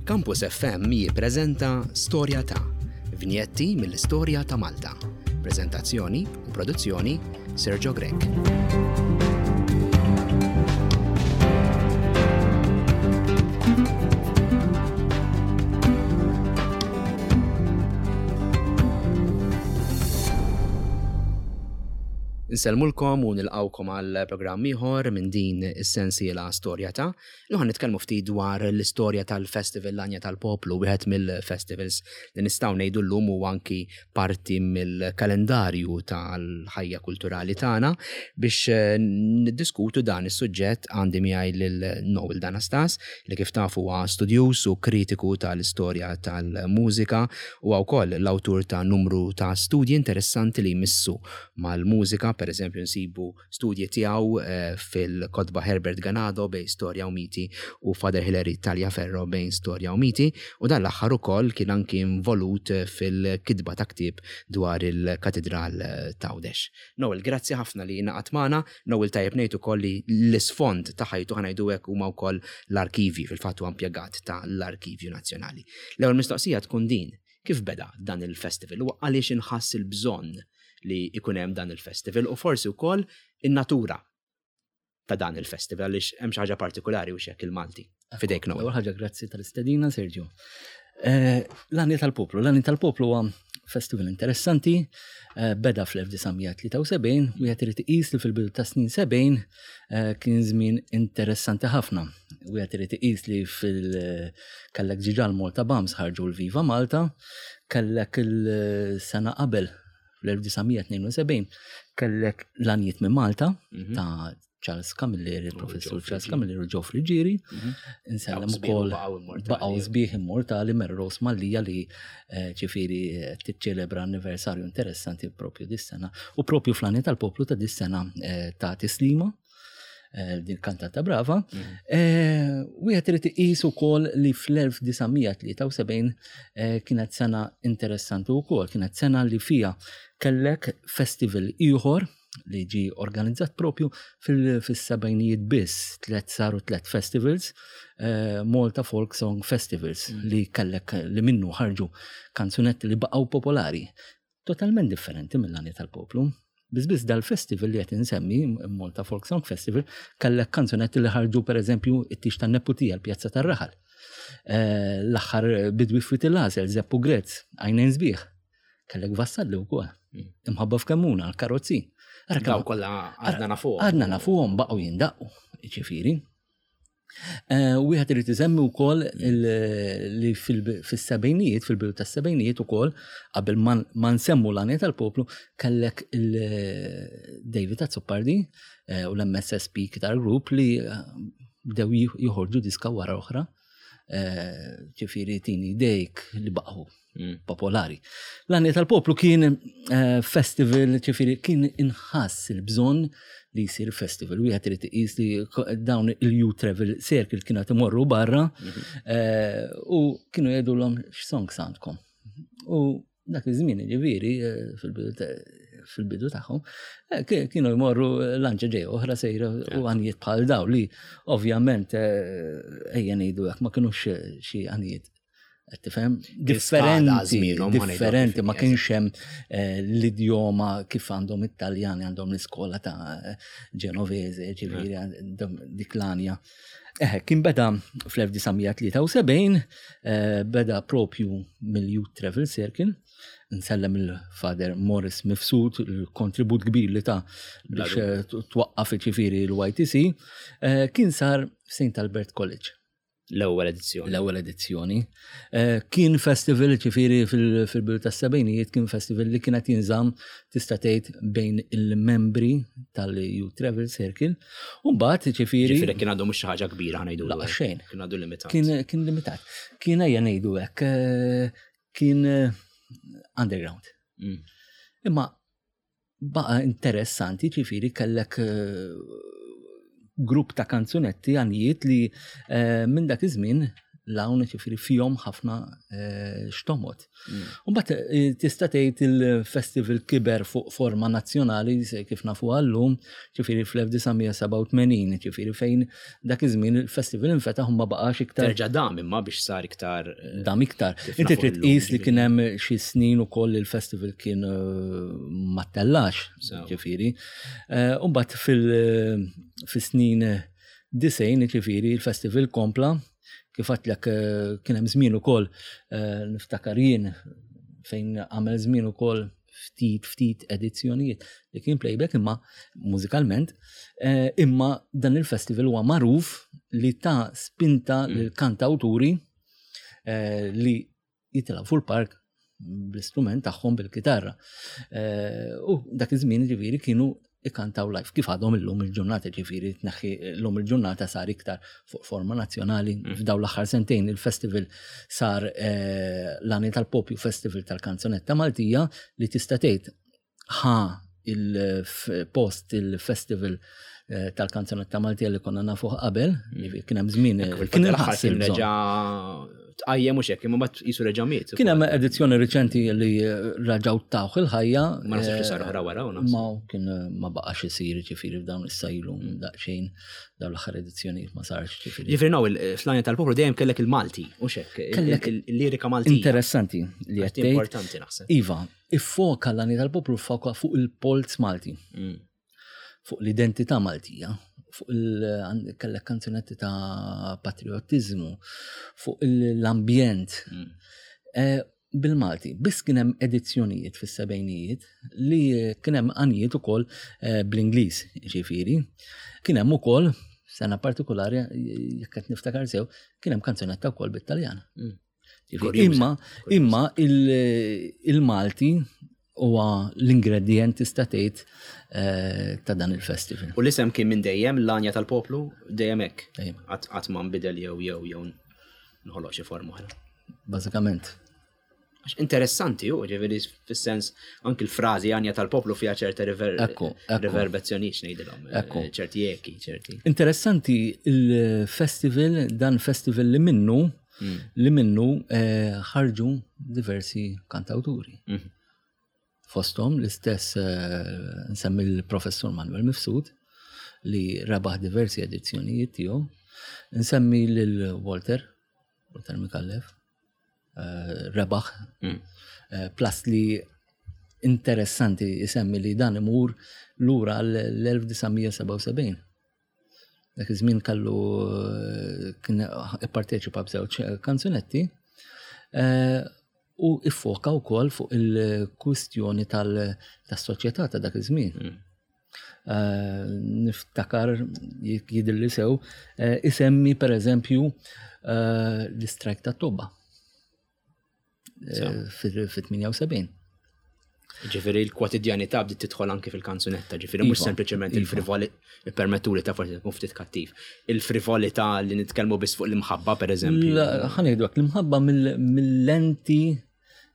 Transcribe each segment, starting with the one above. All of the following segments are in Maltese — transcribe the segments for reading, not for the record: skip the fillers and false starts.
Campus FM jippreżenta Storja ta' vinjetti mill-istorja ta' Malta. Preżentazzjoni u produzzjoni Sergio Grech. Insellmulkom u nilqawkom għal programm ieħor minn din is-sensiela Storja ta'. Illum ħa nitkellmu ftit dwar l-istorja tal-Festival L-Għanja tal-Poplu, wieħed mill-festivals li nistgħu ngħidu llum huwa anki parti mill-kalendarju tal-ħajja kulturali tagħna. Biex niddiskutu dan is-suġġett għandi miegħi lil Noel Danastas li kif tafu huwa studjuż u kritiku tal-istorja tal-mużika. Huwa wkoll l-awtur ta' numru ta' studji interessanti li jmissu mal-mużika, pereżempju nsibu studji tiegħu fil-kotba Herbert Ganado bejn Storja u Miti u Father Hilary Taliaferro bejn Storja u Miti, u dan l-aħħar ukoll kien anki involut fil-kitba ta' ktieb dwar il-Katidral t'Għawdex. Noel, grazzi ħafna li ingħaqadt magħna. Noel tajjeb ngħid ukoll li l-isfond ta' ħajtu ħa ngħidu hekk huma wkoll l-arkivji, fil-fatt huwa impjegat ta' l-Arkivju Nazzjonali. L-ewwel mistoqsija tkun din, kif beda dan il-festival u għaliex inħass il-bżonn li jkun hemm dan il-festival u forsi wkoll in-natura ta' dan il-festival għaliex hemm xi ħaġa partikulari u xek il-Malti. Fidejk Noel. Ewwel ħaġa grazzi tal-istedina Sergio. Eh, l-Għani tal-Poplu, l-Għani tal-Poplu huwa festival interessanti, eh, beda fl-1973 u jgħet irid iqis li fil-bidu ta' snin 70 eh, kien żmien interessanti ħafna. U jgħet irid iqis li fil kellek ġiġa l-Malta Bams ħarġu l-Viva Malta, kellek il-sena qabel fl-1972 kellek l-għanijiet minn Malta mhm. ta' Charles Camilleri, il-professur Charles Camilleri u Joe Friggieri. Mhm. Insellem ukoll baqgħu sbieħ immortali Merros Mallija li eh, ġifieri eh, tiċċelebra anniversarju interessanti propju dis-sena u propju fl tal-poplu ta' dis-sena eh, ta' tislima din kantata brava. Mhm. Wieħed irid iqis ukoll li fl-1973 kienet sena interessanti wkoll, kienet sena li fija kellek festival ieħor li ġi organizzat propju fil-sebajnijiet biss, tlet saru tlet festivals, eh, Malta Folk Song Festivals mm. li kellek li minnu ħarġu kanzunetti li baqgħu popolari, totalment differenti mill-għani tal-poplu. Biss biss dal-festival li qed insemmi, Malta Folk Song Festival, kellek kanzunetti li ħarġu pereżempju it-tix tan-neputija l-Pjazza tar-Raħal. Eh, l-aħħar bidwi ftit il-għażel, Zeppu Grezz, għajnejn sbieħ. Kellek vassalli wkoll. Mm. Imħabba f'kemmuna, l-karozzi. Daw kollha għadna nafuhom. Għadna nafuhom baqgħu jindaqqu, ġifieri. Eh, wieħed irid isemmi wkoll li fis-sebgħinijiet, fil-bidu tas-sebgħinijiet ukoll, qabel ma nsemmu l-għanja tal-poplu, kellek il-David Azzopardi eh, u l-MSSP Guitar Group li eh, bdew joħorġu diska wara oħra ġifieri tini dejk li baqgħu mm. popolari. L-għani tal-poplu kien eh, festival, ġifieri kien inħass il-bżonn li jsir festival. Wieħed irid iqis li dawn il-You Travel Circle kienet imorru barra mhm. eh, u kienu jgħidulhom x'songs għandkom. U dak iż-żmien ġifieri eh, fil-bidu tagħhom eh, kienu jmorru lanċa ġej oħra sejra u għanijiet bħal daw li ovvjament eh, ejja ngħidu hekk ma kinux xi għanijiet tifhem differenti differenti ma kienx hemm l-idjoma kif għandhom it-Taljani għandhom l-iskola ta' Genovese ġifieri dik l-anja. Eh, kien beda fl-1973, eh, beda propju mill-Youth Travel Circle, nsellem il-Father Morris Mifsud, il-kontribut kbir li ta' biex eh, twaqqaf ġifieri l-YTC, eh, kien sar St. Albert College. L-ewwel edizzjoni. L-ewwel edizzjoni. Eh, kien festival ġifieri fil-bidu tas-sebgħinijiet kien festival li kienet jinżamm tista' tgħid bejn il-membri tal-Youth Travel Circle. U mbagħad ġifieri. Ġifieri kien għadu mhux xi ħaġa kbira ħa ngħidu. Laqas xejn. Kien għadu limitat. Kien limitat. Kien ejja ngħidu hekk eh, kien eh, underground. Mm. Imma baqa interessanti ġifieri kellek eh, grupp ta' kanzunetti għanijiet li eh, minn dak iż-żmien. l-hawn ġifieri fihom ħafna eh, xtomot. Mbagħad eh, tista' tgħid il-festival kiber fuq forma nazzjonali kif nafu għallum, ġifieri fl-1987, ġifieri fejn dak iż-żmien il-festival infetaħ u ma baqax iktar. Terġa' dam imma biex sar iktar. Eh, dam iktar. Inti trid tqis li kien hemm xi snin ukoll il-festival kien eh, ma tellax, ġifieri. U mbagħad fil-snin disejn, ġifieri il-festival kompla Kif għedtlek eh, kien hemm żmien ukoll eh, niftakar jien fejn għamel żmien ukoll ftit ftit edizzjonijiet li kien playback imma mużikalment, eh, imma dan il-festival huwa magħruf li ta' spinta mm. lil kantawturi li jitilgħu fuq il-park bl-istrument tagħhom bil-kitarra. Eh, u dak iż-żmien ġifieri kienu ikantaw live kif għadhom illum il-ġurnata ġifieri tneħħi llum il-ġurnata sar iktar fuq forma nazzjonali mm. f'daw l-aħħar sentejn il-festival sar eh, l-għani tal-popju festival tal-kanzunetta Maltija li tista' tgħid ħa il-post il-festival eh, tal-kanzunetta Maltija li konna nafuh qabel, mm. kien hemm żmien eh, kien il-ħass kien reġa' tqajjem mhux hekk, imma mbagħad qisu reġa' miet. Kien hemm edizzjoni riċenti li eh, raġgħu tawh il-ħajja. Ma naħsibx li sar oħra wara u Ma kien ma baqax isir ġifieri f'dawn issa ilu mm. daqsxejn dawn l-aħħar edizzjonijiet ma sarx ġifieri. Ġifieri naw fl-għanja tal-poplu dejjem kellek il-Malti, u xek, kellek il-lirika Malti. Interessanti li qed Importanti naħseb. Iva, Iffoka l-għani tal-poplu ffoka fuq il-polz Malti. Mm. Fuq l-identità Maltija, fuq il kellek kanzunetti ta' patriotizmu, fuq l-ambjent. Mm. Eh, bil-Malti, biss kien hemm edizzjonijiet fis-sebgħinijiet li kien hemm għanijiet ukoll eh, bl-Ingliż, ġifieri. Kien hemm ukoll sena partikolari jekk qed niftakar sew, kien hemm kanzunetta wkoll bit-Taljan. Mm. Imma, imma il-Malti huwa l-ingredient tista' tgħid eh, ta' dan il-festival. U l-isem kien minn dejjem l-għanja tal-poplu dejjem hekk. Qatt ma nbidel jew jew jew nħoloq xi forma oħra. Bażikament. Għax interessanti u ġifieri fis-sens anki l-frażi għanja tal-poplu fiha ċerta riverbezzjonijiet ngħidilhom, eh, ċerti eki, ċerti. Interessanti il-festival, dan festival li minnu mm. li minnu eh, ħarġu diversi kantawturi. Mm. Fosthom l-istess eh, nsemmi l-professur Manuel Mifsud li rebaħ diversi edizzjonijiet tiegħu. Nsemmi lil Walter, Walter Mikallef, eh, rebaħ. Mm. Eh, plus li interessanti jisemmi li dan imur lura l-1977. Dak iż-żmien kellu eh, kien ipparteċipa b'żewġ kanzunetti u iffoka wkoll fuq il-kwistjoni tas-soċjetà ta' dak iż-żmien. Mm. Eh, niftakar jidilli sew, eh, isemmi per eżempju eh, l-istrajk ta' tobba fit-78. Ġifiri l-kwotidjanità bdiet tidħol anki fil-kanzunetta, ġifiri mhux iva, sempliċement iva. il-frivoli, permettu li ta' forsi tkun ftit kattiv, il-frivolità li nitkellmu biss fuq l-imħabba pereżempju. Ħanejdu l-imħabba mill-lenti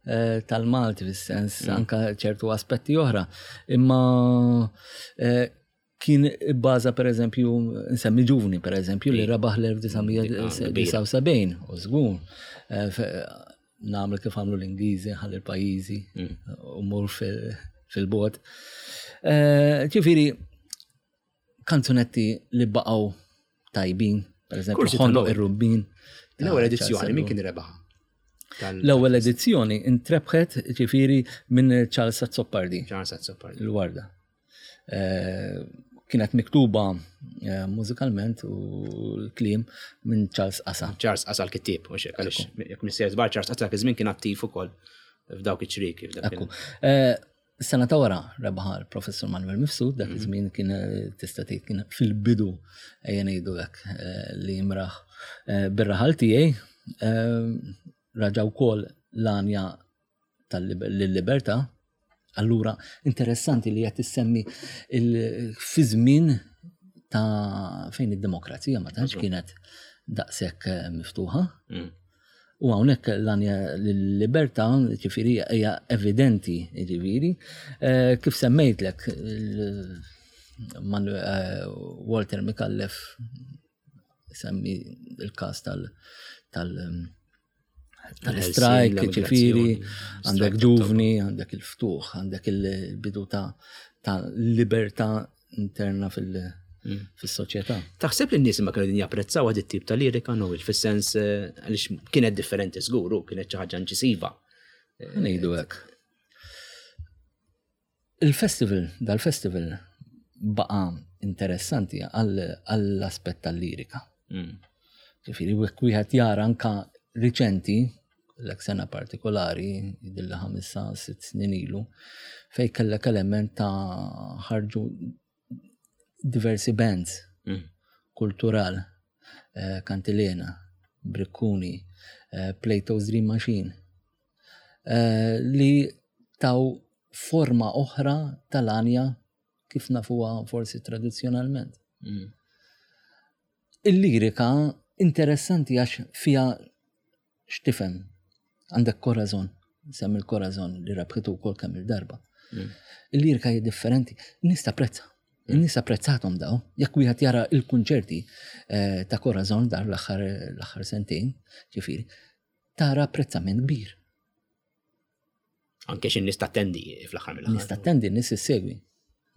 Eh, tal-Malti fis-sens mm. anka ċertu aspetti oħra. Imma eh, kien baza per eżempju, nsemmi ġuvni per eżempju, li rabaħ l-1979, u żgur. Eh, nagħmel kif għamlu l-Ingliżi, ħalli l-pajjiżi, mm. u mur fil-bot. Ġifieri, kanzunetti li baqgħu tajbin, per eżempju, ħondoq ir-rubbin. L-ewwel edizzjoni min kien rebaħ? L-ewwel edizzjoni intrebħet ġifieri minn Charles Azzopardi. Charles Azzopardi. Il-Warda. Eh, kienet miktuba eh, mużikalment u l-kliem minn Charles Asa. Charles Asa l-kittib, u xek, għalix, jek missier żbar Charles Asa kizmin kien attiv ukoll f'dawk iċ-ċriki. Ekku. Eh, Is-sena ta' wara rebaħa l-Professur Manuel Mifsud, dak mhm. iż-żmien kien eh, tista' tgħid kien fil-bidu ejja ngħidu hekk eh, li jimraħ eh, bir-raħal tiegħi raġa' wkoll l-għanja tal-libertà. Allura interessanti li qed issemmi fi żmien ta' fejn id-demokrazija ma tantx kienet daqshekk miftuħa. Mm. U hawnhekk l-għanja l-libertà, ġifieri hija evidenti, ġifieri, eh, kif semmejtlek eh, Walter Mikallef Semmi il-każ tal tal tal-strajk, ġifieri, għandek ġuvni, għandek il-ftuħ, għandek il-bidu ta' ta' libertà interna fil- mm. fis-soċjetà. Taħseb li n-nies ma kienu din japprezzaw għad it-tip ta' lirika Noel fis-sens eh, għaliex kienet differenti żgur u kienet xi ħaġa inċisiva. Eh, Ngħidu hekk. Il-festival, dal-festival baqa interessanti għall-aspett tal-lirika. Mm. Ġifieri wieħed jara anka riċenti l sena partikolari, jidilli ħamisa, sitt snin ilu, fej kellek element ta' ħarġu diversi bands mm. kultural, eh, Kantilena, Brikkuni, eh, Plato's Dream Machine, eh, li taw forma oħra tal-għanja kif nafuha forsi tradizzjonalment. Mm. Il-lirika interessanti għax fija x'tifhem. Għandek Corazon, semmi l-Corazon li rabħitu wkoll kemm il-darba. Mm. Il-lirika hija differenti, nies tapprezza. Mm. Nies apprezzatom daw. Jekk wieħed jara il-kunċerti eh, ta' Corazon dar l-aħħar sentejn, ġifieri, tara apprezzament kbir. Anke xi nies tattendi fl-aħħar mill-aħħar. Nies tattendi, nies issegwi.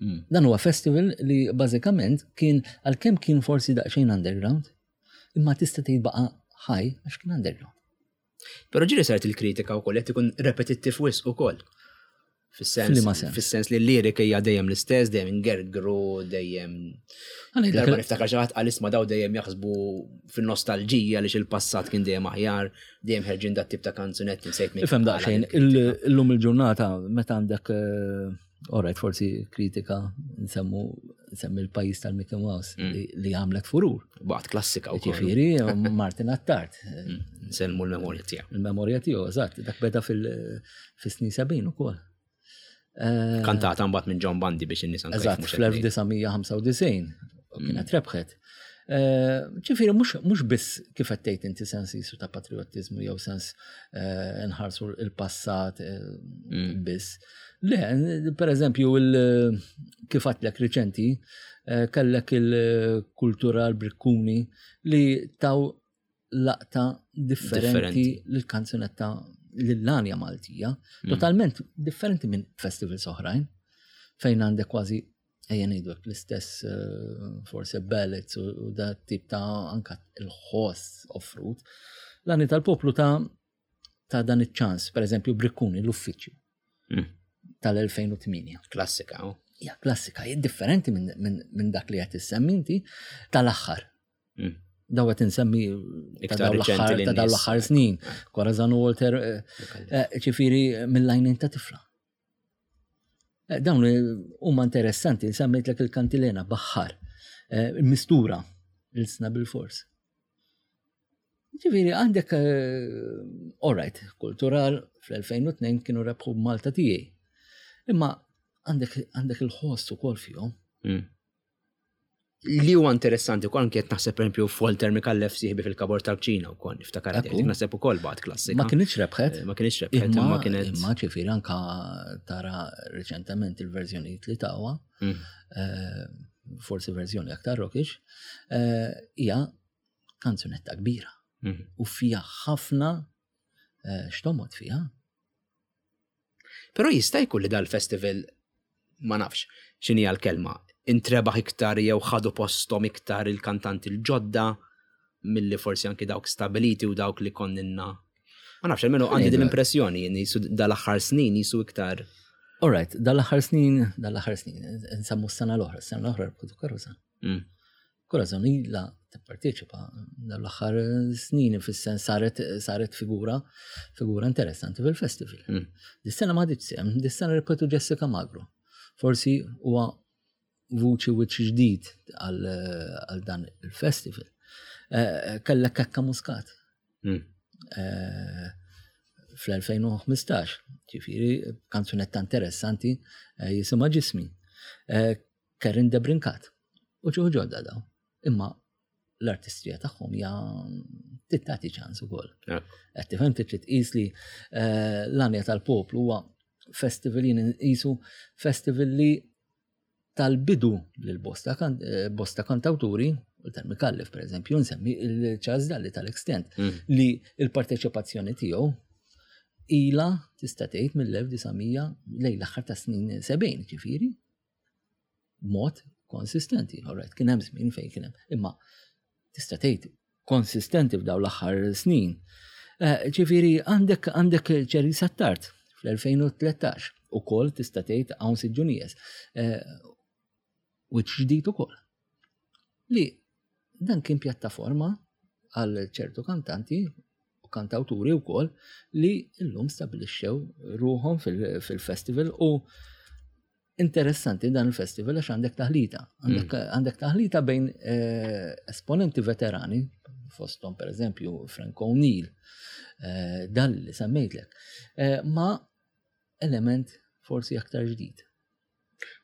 Mm. Dan huwa festival li bażikament kien għalkemm kien forsi daqsxejn underground, imma tista' tgħid baqa' ħaj għax kien underground. Però ġieli saret il-kritika wkoll qed ikun repetittiv wisq ukoll. Fis-sens fis-sens li l-lirika hija dejjem l-istess, dejjem ingergru, dejjem. Darba niftakar xi ħadd qal isma' daw dejjem jaħsbu fin-nostalġija li il-passat kien dejjem aħjar, dejjem ħerġin dat tip ta' kanzunetti nsejt minn. Ifhem daqsxejn, illum il-ġurnata meta għandek eh, Alright, forsi kritika nsemmu nsemmi l-pajis tal-Mickey Mouse mm. li għamlet furur. Baqt klassika u Ġifieri Martin Attard. Mm, nsemmu l-memorja tiegħu. Il-memorja tiegħu, eżatt, dak beda fil-snin 70 ukoll. Eh, Kantata mbagħad minn John Bundy biex in-nies anke Eżatt, fl-1995 kienet mm. rebħet. Eh, ġifieri mhux biss kif qed tgħid inti sens jisu ta' patriottiżmu jew sens eh, nħarsu l-passat mm. biss. Le, per eżempju, kif għatlek riċenti, kellek il-kultura l-brikkuni li taw laqta differenti l-kanzunetta l-lanja Maltija, mm. totalment differenti minn festivals oħrajn, fejn għandek kważi ejja ngħidu hekk l-istess eh, forsi ballads u da tip ta' anka il-ħoss offrut. L-għani tal-poplu ta' ta' dan iċ-ċans, per eżempju, Brikkuni l-uffiċċju mm. tal-2008. Klassika, oh. Ja, klassika, hija differenti minn min, min dak li qed issemmi inti tal-aħħar. Mm. Daw qed insemmi ta' daw l-aħħar snin. Corazon Walter, eh, eh, ġifieri mill-lajnin ta' tifla. Eh, dawn huma interessanti, semmejtlek il-kantilena baħħar, eh, mistura, il-sna bil-fors. Ġifieri għandek, eh, all right, kultural fl-2002 kienu rebħu Malta tiegħi. Imma għandek il-ħoss ukoll fihom. Mm. Li huwa interessanti wkoll anke qed naħseb pereżempju Walter Mikallef sieħbi fil-kabor tal-kċina wkoll niftakar qed naħseb ukoll bad klassika. Ma kienx rebħet. Eh, ma kienx rebħet, imma kienet. Imma ġifieri anka tara riċentement il-verżjonijiet li tawa, mm. eh, forsi verżjoni aktar rockish, eh, hija kanzunetta kbira. Mm. U fija ħafna xtomot fija. Però jista' jkun li dal-festival ma nafx x'inhi l-kelma, intrebaħ iktar jew ħadu posthom iktar il-kantanti l-ġodda milli forsi anki dawk stabiliti u dawk li konninna. Ma nafx, almenu għandi din l-impressjoni jisu dal-aħħar snin jisu iktar. All right, dal-aħħar snin, dal-aħħar snin, nsemmu s-sena l-oħra, s-sena l-oħra rebħu karuza. Mm. Corazon ilha tipparteċipa dawn l-aħħar snin fis-sens saret saret figura figura interessanti fil-festival. Mm. Dis-sena ma ħaditx sehem, dis-sena rebħetu Jessica Magro. Forsi huwa vuċi wiċċ ġdid għal dan il-festival. Eh, kellek Kekka Muscat. Mm. Eh, fl-2015, ġifiri, kanzunetta interessanti eh, jisimha ġismi. Karen Debrincat. U ġew ġodda daw. Imma l-artistrija tagħhom hija tittati ċans ukoll. Qed tifhem trid tqis li eh, l-għanja tal-poplu huwa festival jien nqisu festival li tal-bidu lil bosta, eh, bosta kantawturi Walter Micallef, per eżempju, nsemmi il-Charles Dalli tal-Extent, li il-parteċipazzjoni tiegħu ila tista' tgħid mill-1900 lejn l-aħħar ta' snin 70, ġifieri, b'mod konsistenti. All right, kien hemm żmien fejn kien hemm, imma tista' tgħid konsistenti f'dawn l-aħħar snin. Eh, ġifieri għandek għandek Ċeri Sattart fl-2013 ukoll tista' tgħid hawn Siġġunijes. Eh, wiċċ ġdid ukoll. Li dan kien pjattaforma għal ċertu kantanti u kantawturi wkoll li llum stabilixxew ruħhom fil-festival u interessanti dan il-festival għax għandek taħlita. Għandek mm. taħlita bejn eh, esponenti veterani, fostom per eżempju Frank O'Neill, eh, dan li semmejtlek, eh, ma element forsi aktar ġdid.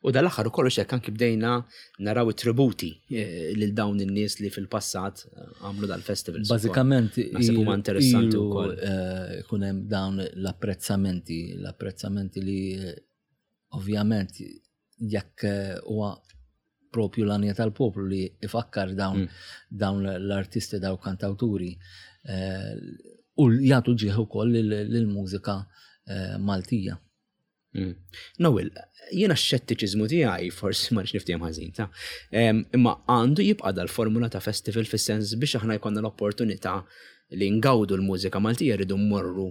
U dal-aħħar ukoll hekk anki bdejna naraw it-tributi eh, lil dawn in-nies li fil-passat eh, għamlu dal-festival. Bażikament naħseb huma interessanti wkoll. Eh, ikun hemm dawn l-apprezzamenti, l-apprezzamenti li ovvjament jekk huwa propju l-għanja tal-poplu li ifakkar dawn, mm. dawn l-artisti, dawn kantawturi u jagħtu ġieħ ukoll lill-mużika Maltija. Mm. Noel, jiena x-xettiċiżmu tiegħi forsi ma nix niftehom ħażin ta' imma għandu jibqa' dal-formula ta' festival fis-sens biex aħna jkollna l-opportunità li ngawdu l-mużika Maltija rridu mmorru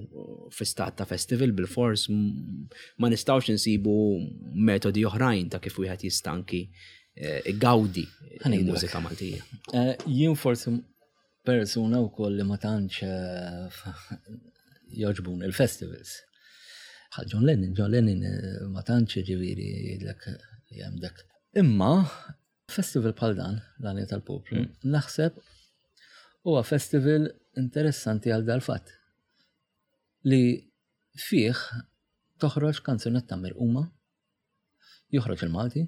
fi stat ta' festival bil-fors ma nistgħux insibu metodi oħrajn ta' kif wieħed jista' anki eh, igawdi l-mużika Maltija. Eh, jien forsi persuna wkoll li ma tantx eh, joġbun il-festivals. Bħal John Lennon, John Lennon eh, ma tantx ġifieri jgħidlek li hemm dak. Imma festival bħal dan, l-għanja tal-poplu, mm. naħseb huwa festival interessanti għal dal-fatt li fih toħroġ kanzunetta mirquma, joħroġ il-Malti,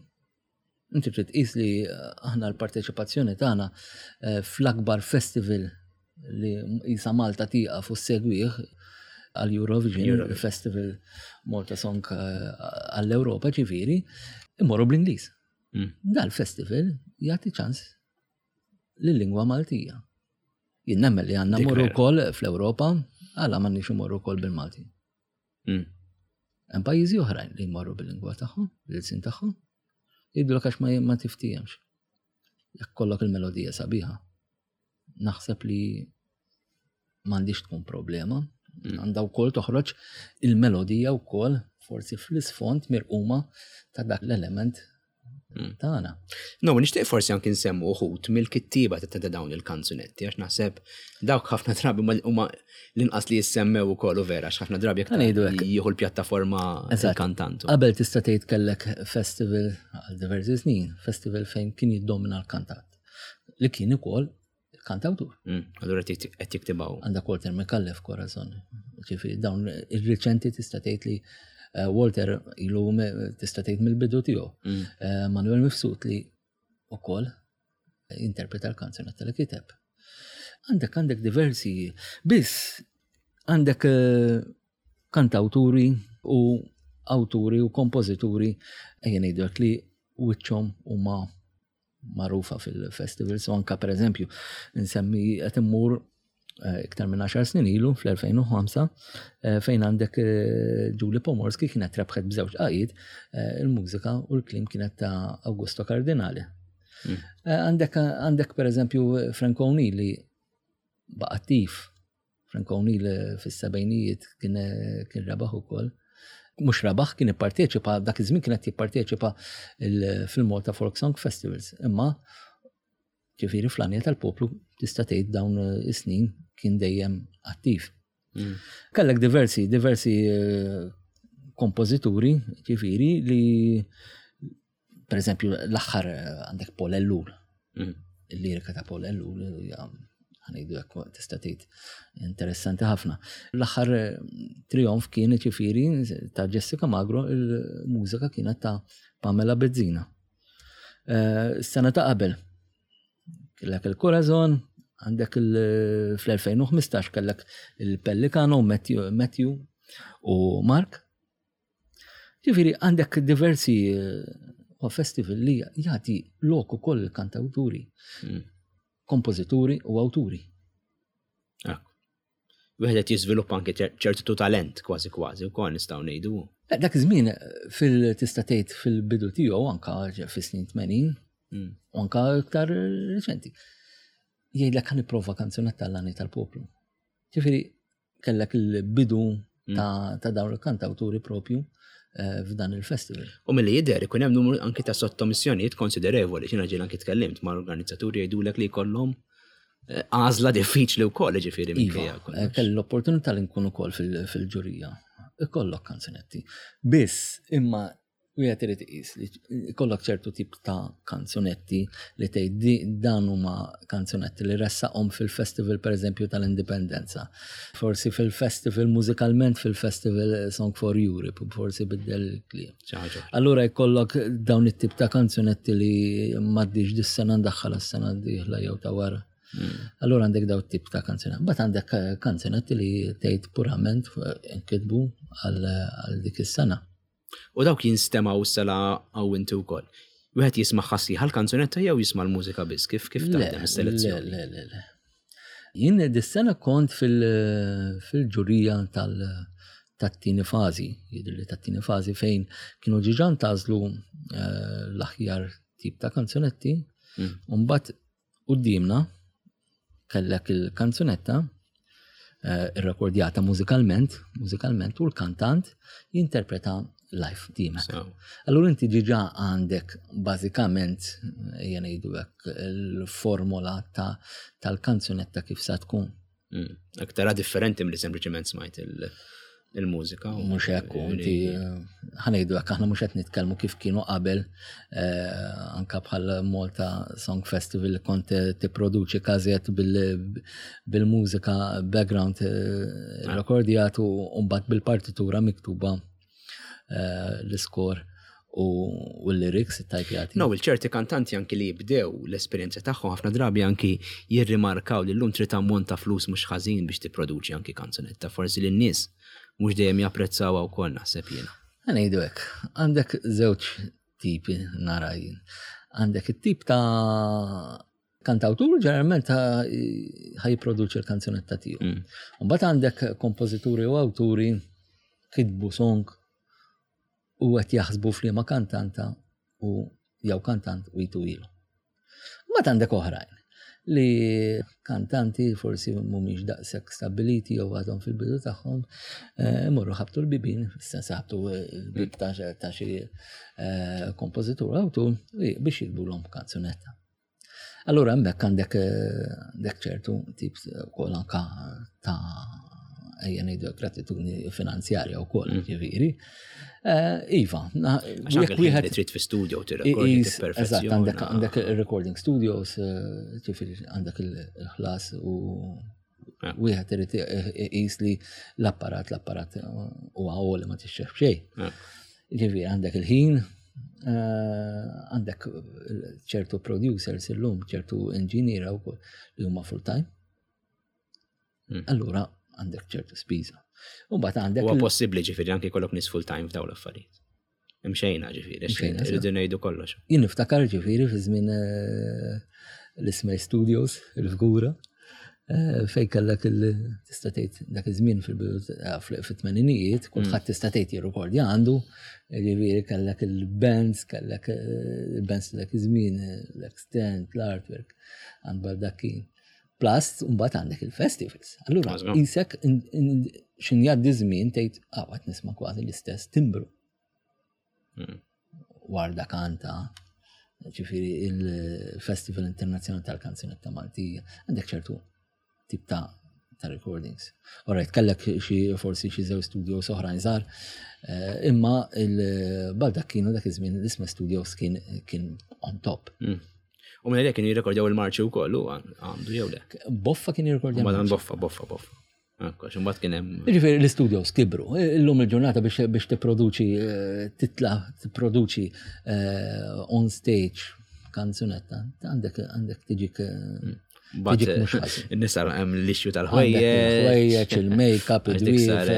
Inti trid tqis li eh, aħna l-parteċipazzjoni tagħna eh, fl-akbar festival li jisa Malta tieqaf u segwih għal Eurovision, il-Festival Malta Song eh, għall-Ewropa ġifieri, immorru bl-Ingliż. Mm. Dal-festival jagħti ċans lill-lingwa Maltija. Jien nemmen li għandna morru wkoll fl-Ewropa, għala m'għandniex imorru wkoll bil-Malti. Mm. Hemm pajjiżi oħrajn li jmorru bil-lingwa tagħhom, bil-sin tagħhom, jgħidulek għax ma, ma tiftihemx. Jekk kollok il-melodija sabiħa. Naħseb li m'għandix tkun problema. Mm. Għandha wkoll toħroġ il-melodija wkoll forsi fl-isfond mirquma ta' dak l-element mm. tagħna. No, nixtieq forsi anki nsemmu uħut mill-kittieba ta' dawn il-kanzunetti għax naħseb dawk ħafna drabi huma l-inqas li jissemmew ukoll u vera għax ħafna drabi jekk jieħu l-pjattaforma il-kantant. Qabel tista' tgħid kellek festival għal diversi snin, festival fejn kien jiddomina l-kantat li kien ukoll kantawtur. Mm, allura qed jiktibaw. Għandek Walter Micallef Corazon. Ġifieri dawn ir-riċenti tista' tgħid li eh, Walter ilu tista' tgħid mill-bidu tiegħu. Mm. Eh, Manuel Mifsud li ukoll interpreta l-kanzunetta li kiteb. Għandek għandek diversi, biss għandek eh, kantawturi u awturi u kompożituri ejja ngħidulek li wiċċhom huma magħrufa fil-festivals u anka pereżempju nsemmi qed immur eh, iktar minn 10 snin ilu fl-2005 eh, fejn għandek eh, Julie Pomorski kienet rebħet b'żewġ qajid il-mużika u l-klim kienet ta' Augusto Cardinale. Mm. Għandek għandek pereżempju Frank O'Neill li baqa' attiv Frank O'Neill fis-sebgħinijiet kien kien rebaħ ukoll. Mhux rebaħ kien ipparteċipa dak iż-żmien kien qed jipparteċipa fil-Malta Folk Song Festivals. Imma ġifieri fl-għanja tal-poplu tista' tgħid dawn is-snin kien dejjem attiv. Mm. Kellek diversi, diversi eh, kompożituri, ġifieri li Per eżempju, l-aħħar eh, għandek Paul Ellul. Mm. Il-lirika ta' Paul Ellul ħanejdu hekk tista' tgħid interessanti ħafna. L-aħħar eh, trionf kien ġifieri ta' Jessica Magro, il-mużika kienet ta' Pamela Bezzina. Eh, sena ta' qabel kellek il-Corazon, għandek fl-2015 kellek il-Pellicano, Matthew u Mark. Ġifieri għandek diversi eh, festival li jagħti lok ukoll il-kantawturi. Mm. kompożituri u awturi. Wieħed qed jiżviluppa anke ċertu talent kważi kważi wkoll nistgħu ngħidu. Eh, dak iż-żmien fil tista' tgħid fil-bidu tiegħu anka fis-snin 80 u anka iktar riċenti. Jgħidlek ħa nipprova kanzunetta l tal-poplu. Ġifieri kellek il-bidu ta' dawn il-kantawturi propju eh, f'dan il-festival. U milli jidher ikun hemm numru anki ta' sottomissjonijiet konsiderevoli, xina ġiel anki tkellimt ma' organizzaturi jgħidulek li jkollhom eh, għażla diffiċli wkoll ġifieri iva, eh, Kelli l-opportunità li nkun ukoll fil-ġurija. Ikollok kanzunetti. Biss imma Wieħed irid iqis li jkollok ċertu tip ta' kanzunetti li tgħid dan huma kanzunetti li ressaqhom fil-festival pereżempju tal-Indipendenza. Forsi fil-festival mużikalment fil-festival Song for Europe, forsi biddel il-kliem. Allura jkollok dawn it-tip ta' kanzunetti li m'għaddix dis-sena ndaħħal s-sena d-dieħla jew ta' wara. Hmm. Allura għandek daw tip ta' kanzunetti. Bat għandek eh, kanzunetti li tgħid purament eh, nkitbu għal dik is-sena. U dawk jinstemgħu sela għaw inti wkoll. Wieħed jisma' ħassieħ għall-kanzunetta jew jisma' l-mużika biss, kif kif taħdem is-selezzjoni? Le, le, le. Jien dis-sena kont fil-ġurija tal- tat-tieni fażi, jidhirli tat-tieni fażi fejn kienu ġiġa ntażlu eh, l-aħjar tip ta' kanzunetti, mm. u mbagħad Quddiemna kellek il-kanzunetta eh, irrekordjata mużikalment, mużikalment u l-kantant jinterpreta live qudiemek. Allura inti ġiġa għandek bażikament ejja ngħidu hekk il-formola tal-kanzunetta kif sa tkun. Mm. Aktar differenti milli sempliċement smajt il-mużika. Mhux hekk, inti ħanejdu hekk aħna mhux qed nitkellmu kif kienu qabel eh, anka bħal Malta Song Festival li kont tipproduċi każiet bil-mużika background eh, rekordjat u mbagħad bil-partitura miktuba eh, l-iskor u l-lyrics tajpjati. No, il-ċerti kantanti anki li jibdew l-esperjenza tagħhom ħafna drabi anki jirrimarkaw li llum trid ammont ta' flus mhux ħażin biex tipproduċi anki kanzunetta, forsi li n-nies mhux dejjem japprezzawha wkoll naħseb jiena. Ngħidu hekk, għandek żewġ tipi nara jien. Għandek it-tip ta' kantawtur ġeneralment ħaj jipproduċi l-kanzunetta tiegħu. Mm. Mbagħad għandek kompożituri u awturi kitbu song u qed jaħsbu f'liema kantanta u jew kantant u jitu ilu. Mbagħad għandek oħrajn li kantanti forsi mhumiex daqshekk stabiliti jew għadhom fil-bidu tagħhom eh, imorru ħabtu l-bibin, sens ħabtu l-bib ta' xi eh, kompożitur awtur biex jikbulhom kanzunetta. Allura hemmhekk għandek eh, għandek ċertu tip ukoll anka ta' ejja ngħidu gratitudni finanzjarja wkoll mm. ġifieri. Eh, iva, jekk wieħed trid fi studio tirrekordi Eżatt, għandek għandek recording studios, eh, ġifieri għandek il-ħlas u wieħed irid iqis li l-apparat l-apparat huwa għoli ma tixxef xejn. Ġifieri għandek il-ħin, eh, għandek ċertu producers illum, ċertu engineer wkoll li huma full time. Hmm. Allura għandek ċertu spiża. U mbagħad għandek. Huwa possibbli ġifieri anke jkollok nies full time f'dawn l-affarijiet. Imxejna ġifieri, irridu ngħidu kollox. Jien niftakar ġifieri fi żmien eh, l-Ismej Studios, il-Fgura, eh, fej kellek il tista' tgħid dak iż-żmien eh, fit-tmeninijiet, kulħadd mm. tista' tgħid jirrekordja għandu, ġifieri kellek il-bands, kellek il-bands dak iż-żmien, l-extent, l-artwork, għand Baldackin. Plus, mbagħad għandek il-festivals. Allura, isek xin jgħaddi żmien tgħid ah, qed nisma' kważi l-istess timbru. Hmm. Warda kanta, ġifieri il-Festival Internazzjonali tal-Kanzunetta Maltija, għandek ċertu tip ta' ta' recordings. Alright, kellek xi forsi xi żew studios oħrajn żgħar, eh, imma il-Baldacchino dak iż-żmien l-isma studios kien kien on top. Hmm. U minn kienu jirrekordjaw il-marċi wkoll u għandu jew le. Boffa kien jirrekordjaw. Ma dan boffa, boffa, boffa. Ekku, imbagħad kien hemm. Jiġifieri l-istudios kibru. Illum il-ġurnata biex biex tipproduċi eh, titla tipproduċi eh, on stage kanzunetta, għandek għandek tiġik eh, hmm. Tiġik mhux ħażin. Nisa hemm l-issue tal-ħwejjeġ. Ħwejjeġ, il-makeup, id-dwiefer,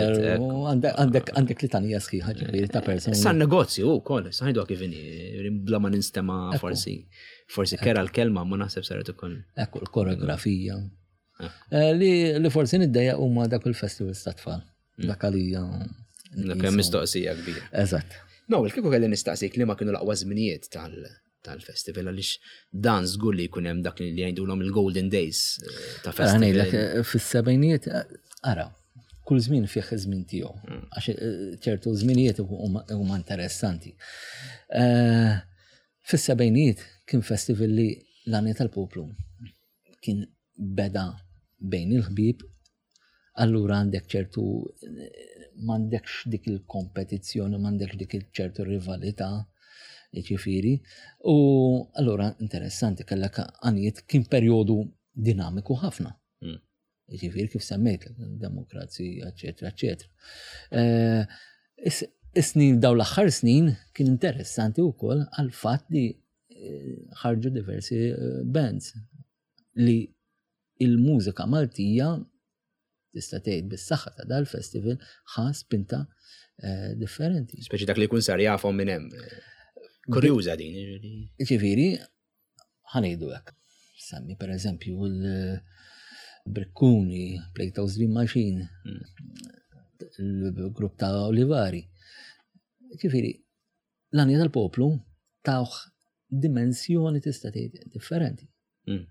għandek għandek litanija sħiħa ġifieri ta' persuni. Sa negozju wkoll, sa ngħidu kif inhi, bla ma ninstema' forsi. Forsi kera l-kelma ma naħseb saret ukoll. Ekku l-koreografija. Eh, li, li forsi niddejja huma dak il-festivals ta' tfal. Mm. Dak għalija. Dak hemm mistoqsija kbira. Eżatt. No, kieku kelli nistaqsik li ma kienu l-aqwa żminijiet tal- tal-festival għaliex dan żgur li jkun hemm dak li jgħidulhom il-Golden Days eh, ta' festival. Ngħidlek eh, fis-sebgħinijiet ara, kull żmien fih iż-żmien tiegħu mm. għax ċertu żminijiet huma interessanti. Fis-sebgħinijiet kien festival li l-għanja tal-poplu kien beda bejn il-ħbieb, allura għandek ċertu m'għandekx dik il-kompetizzjoni, m'għandekx dik il-ċertu rivalità, ġifieri. U allura interessanti kellek għanijiet kien perjodu dinamiku ħafna. Mm. Ġifieri kif semmejt, demokrazija, eċetera, eċetera. Eh, is-snin daw l-aħħar snin kien interessanti wkoll għal fatt li eh, ħarġu diversi eh, bands li il-mużika Maltija tista' tgħid bis-saħħa ta' dal-festival ħa spinta differenti. Speċi dak li jkun sar jafhom minn hemm. Kurjuża din. Ġifieri, ħanejdu hekk. Semmi per eżempju l-Brikkuni, Plato's Dream Machine, hmm. il-grupp ta' Olivari. Ġifieri, l-għanja tal-poplu tawh dimensjoni tista' tgħid differenti. Hmm.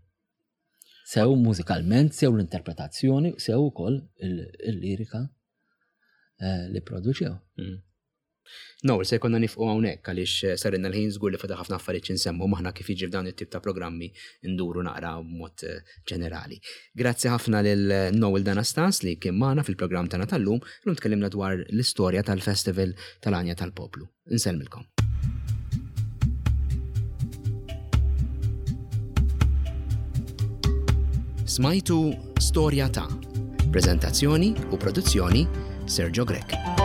Sew mużikalment, sew l-interpretazzjoni, sew ukoll il-lirika eh, li produċew. Hmm. Noel, se jkollna nifqu hawnhekk għaliex eh, sarinna l-ħin żgur li fadal ħafna affarijiet x'insemmu maħna kif jiġri f'dawn it-tip ta' programmi nduru naqra b'mod eh, ġenerali. Grazzi ħafna lil eh, Noel Danastas li kien magħna fil-programm tagħna tal-lum, illum tkellimna dwar l-istorja tal-Festival tal-Għanja tal-Poplu. Insellmilkom. Smajtu Storja ta' Prezentazzjoni u produzzjoni Sergio Grech.